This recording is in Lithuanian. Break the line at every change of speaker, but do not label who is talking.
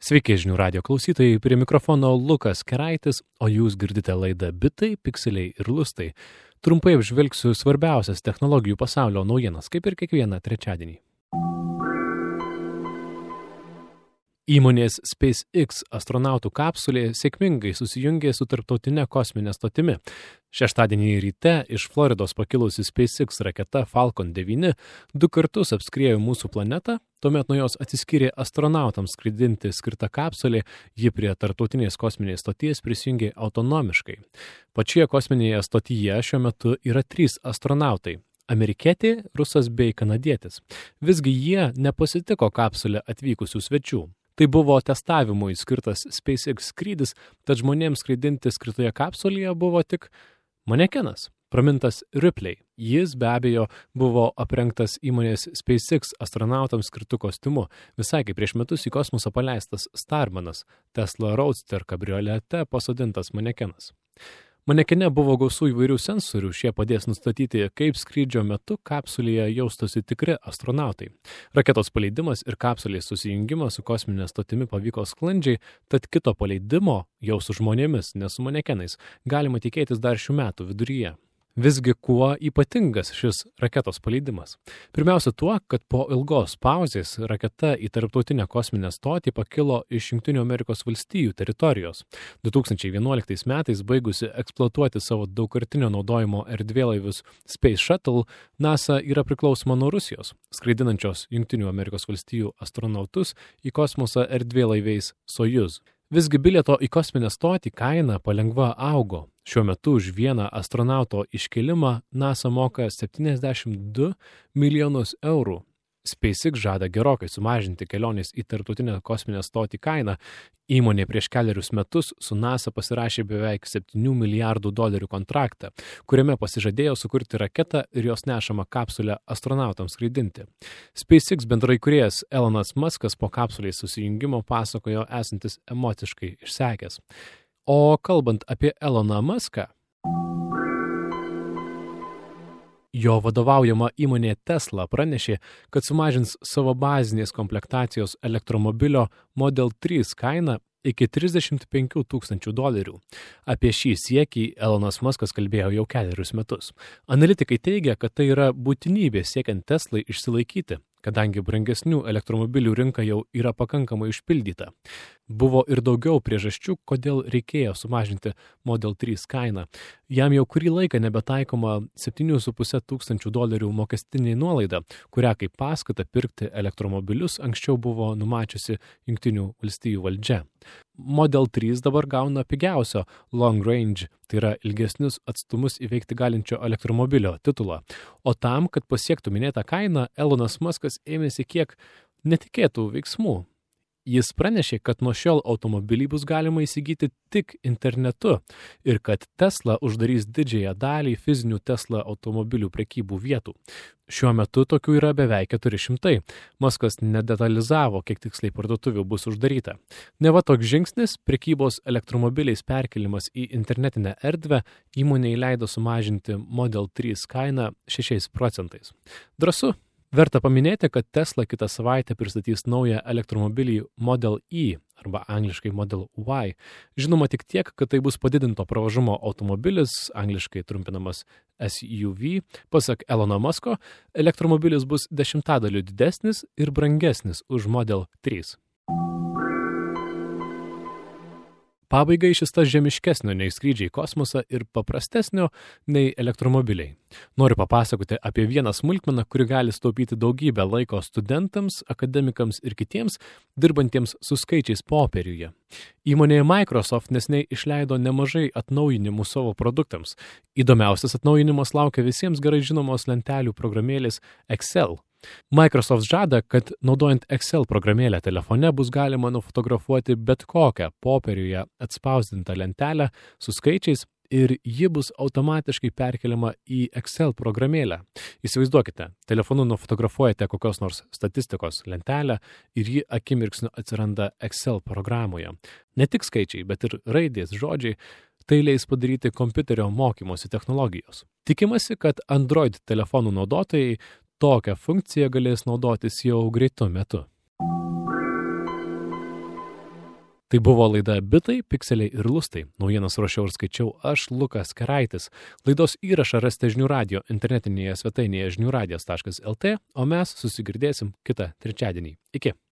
Sveiki žinių radio klausytojai, prie mikrofono Lukas Keraitis, o jūs girdite laidą Bitai, Pikseliai ir Lustai. Trumpai apžvelgsiu svarbiausias technologijų pasaulio naujienas, kaip ir kiekvieną trečiadienį. Įmonės SpaceX astronautų kapsulė sėkmingai susijungė su tarptautinė kosminė stotimi. Šeštadienį ryte iš Floridos pakilusi SpaceX raketa Falcon 9 du kartus apskriejo mūsų planetą, tuomet nuo jos atsiskyrė astronautams skraidinti skirta kapsulė, ji prie tarptautinės kosminės stoties prisijungė autonomiškai. Pačioje kosminėje stotyje šiuo metu yra 3 astronautai. Amerikietė, rusas bei kanadietis. Visgi jie nepasitiko kapsulę atvykusių svečių. Tai buvo testavimui skirtas SpaceX skrydis, tad žmonėms skraidinti skirtoje kapsulėje buvo tik manekenas, pramintas Ripley. Jis be abejo buvo aprengtas įmonės SpaceX astronautams skirtu kostiumu, visai kaip prieš metus į kosmosą paleistas Starmanas, Tesla Roadster kabriolete pasodintas manekenas. Manekene buvo gausų įvairių sensorių, šie padės nustatyti, kaip skrydžio metu kapsulėje jaustosi tikri astronautai. Raketos paleidimas ir kapsulės susijungimas su kosminė stotimi pavyko sklandžiai, tad kito paleidimo jau su žmonėmis, ne su manekenais, galima tikėtis dar šių metų viduryje. Visgi kuo ypatingas šis raketos paleidimas? Pirmiausia tuo, kad po ilgos pauzės raketa į tarptautinę kosminę stotį pakilo iš Jungtinių Amerikos valstijų teritorijos. 2011 metais baigusi eksploatuoti savo daugkartinio naudojimo erdvėlaivius Space Shuttle, NASA yra priklausoma nuo Rusijos, skraidinančios Jungtinių Amerikos valstijų astronautus į kosmosą erdvėlaiviais Soyuz. Visgi bilieto į kosminę stotį kaina palengva augo. Šiuo metu už vieną astronauto iškelimą NASA moka 72 milijonus eurų. SpaceX žada gerokai sumažinti kelionės į tarptautinę kosminę stotį kainą. Įmonė prieš kelerius metus su NASA pasirašė beveik $7 milijardų kontraktą, kuriame pasižadėjo sukurti raketą ir jos nešamą kapsulę astronautams skraidinti. SpaceX bendraįkūrėjas Elonas Muskas po kapsulės susijungimo pasakojo esantis emociškai išsekęs. O kalbant apie Eloną Muską, jo vadovaujama įmonė Tesla pranešė, kad sumažins savo bazinės komplektacijos elektromobilio Model 3 kainą iki $35,000. Apie šį siekį Elonas Muskas kalbėjo jau kelerius metus. Analitikai teigia, kad tai yra būtinybė siekiant Teslai išsilaikyti, kadangi brangesnių elektromobilių rinka jau yra pakankamai užpildyta. Buvo ir daugiau priežasčių, kodėl reikėjo sumažinti Model 3 kainą. Jam jau kurį laiką nebetaikoma $7,500 mokestinė nuolaida, kurią kaip paskatą pirkti elektromobilius anksčiau buvo numačiusi Jungtinių valstijų valdžia. Model 3 dabar gauna pigiausio long range, tai yra ilgesnius atstumus įveikti galinčio elektromobilio titulą. O tam, kad pasiektų minėtą kainą, Elonas Muskas ėmėsi kiek netikėtų veiksmų. Jis pranešė, kad nuo šiol automobilį bus galima įsigyti tik internetu ir kad Tesla uždarys didžiąją dalį fizinių Tesla automobilių prekybų vietų. Šiuo metu tokių yra beveik 400. Muskas nedetalizavo, kiek tiksliai parduotuvių bus uždaryta. Neva toks žingsnis, prekybos elektromobiliais perkelimas į internetinę erdvę, įmonei leido sumažinti Model 3 kainą 6%. Drąsu. Verta paminėti, kad Tesla kitą savaitę pristatys naują elektromobilį Model E arba angliškai Model Y. Žinoma tik tiek, kad tai bus padidinto pravažumo automobilis, angliškai trumpinamas SUV. Pasak Elono Musko, elektromobilis bus 10 didesnis ir brangesnis už Model 3. Pabaigai šis tas žemiškesnio nei skrydžiai į kosmosą ir paprastesnio nei elektromobiliai. Noriu papasakoti apie vieną smulkmeną, kuri gali sutaupyti daugybę laiko studentams, akademikams ir kitiems, dirbantiems su skaičiais popieriuje. Įmonė Microsoft neseniai išleido nemažai atnaujinimų savo produktams. Įdomiausias atnaujinimas laukia visiems gerai žinomos lentelių programėlės Excel. Microsoft žada, kad naudojant Excel programėlę telefone bus galima nufotografuoti bet kokią popieriuje atspausdintą lentelę su skaičiais ir ji bus automatiškai perkeliama į Excel programėlę. Įsivaizduokite, telefonu nufotografuojate kokios nors statistikos lentelę ir ji akimirksniu atsiranda Excel programoje. Ne tik skaičiai, bet ir raidės, žodžiai. Tai leis padaryti kompiuterio mokymosi technologijos. Tikimasi, kad Android telefonų naudotojai tokią funkciją galės naudotis jau greitu metu. Tai buvo laida Bitai, Pikseliai ir Lustai. Naujienas ruošiau ir skaičiau aš, Lukas Keraitis. Laidos įrašą rasite Žinių radijo internetinėje svetainėje žiniųradijas.lt, o mes susigirdėsim kitą trečiadienį. Iki.